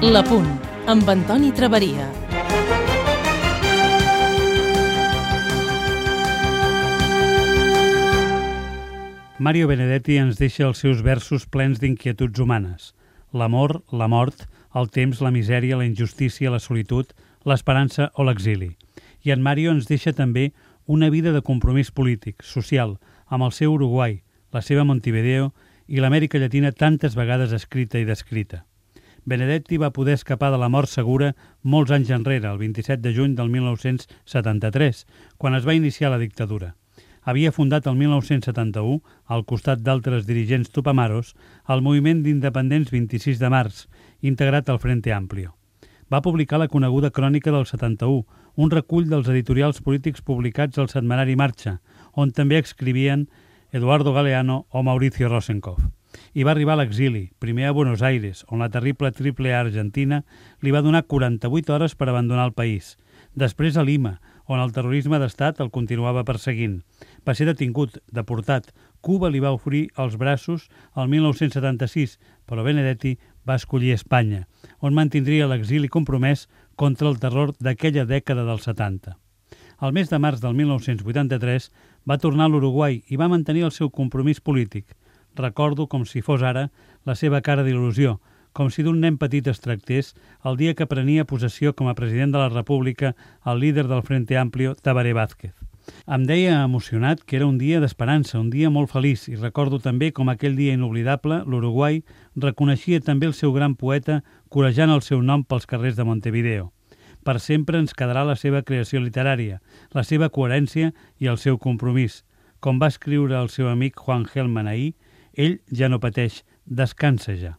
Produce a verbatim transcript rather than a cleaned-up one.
La Punt, amb Antoni Traveria. Mario Benedetti ens deixa els seus versos plens d'inquietuds humanes. L'amor, la mort, el temps, la misèria, la injustícia, la solitud, l'esperança o l'exili. I en Mario ens deixa també una vida de compromís polític, social, amb el seu Uruguai, la seva Montevideo i l'Amèrica Llatina tantes vegades escrita i descrita. Benedetti va poder escapar de la mort segura molts anys enrere, el vint-i-set de juny del mil nou-cents setanta-tres, quan es va iniciar la dictadura. Havia fundat el mil nou-cents setanta-u, al costat d'altres dirigents tupamaros, el moviment d'independents vint-i-sis de març, integrat al Frente Amplio. Va publicar la coneguda Crònica del setanta-u, un recull dels editorials polítics publicats al setmanari Marxa, on també escrivien Eduardo Galeano o Mauricio Rosenkopf. I va arribar a l'exili, primer a Buenos Aires, on la terrible Triple A argentina li va donar quaranta-vuit hores per abandonar el país. Després a Lima, on el terrorisme d'estat el continuava perseguint. Va ser detingut, deportat. Cuba li va oferir els braços el mil nou-cents setanta-sis, però Benedetti va escollir Espanya, on mantindria l'exili compromès contra el terror d'aquella dècada dels setanta. Al mes de març del mil nou-cents vuitanta-tres va tornar a l'Uruguai i va mantenir el seu compromís polític. Recordo com si fos ara la seva cara d'il·lusió, com si d'un nen petit es tractés el dia que prenia possessió com a president de la República el líder del Frente Amplio, Tabaré Vázquez. Em deia emocionat que era un dia d'esperança, un dia molt feliç, i recordo també com aquell dia inoblidable, l'Uruguai reconeixia també el seu gran poeta corejant el seu nom pels carrers de Montevideo. Per sempre ens quedarà la seva creació literària, la seva coherència i el seu compromís. Com va escriure el seu amic Juan Gelman ahir, ell ja no pateix, descansa ja.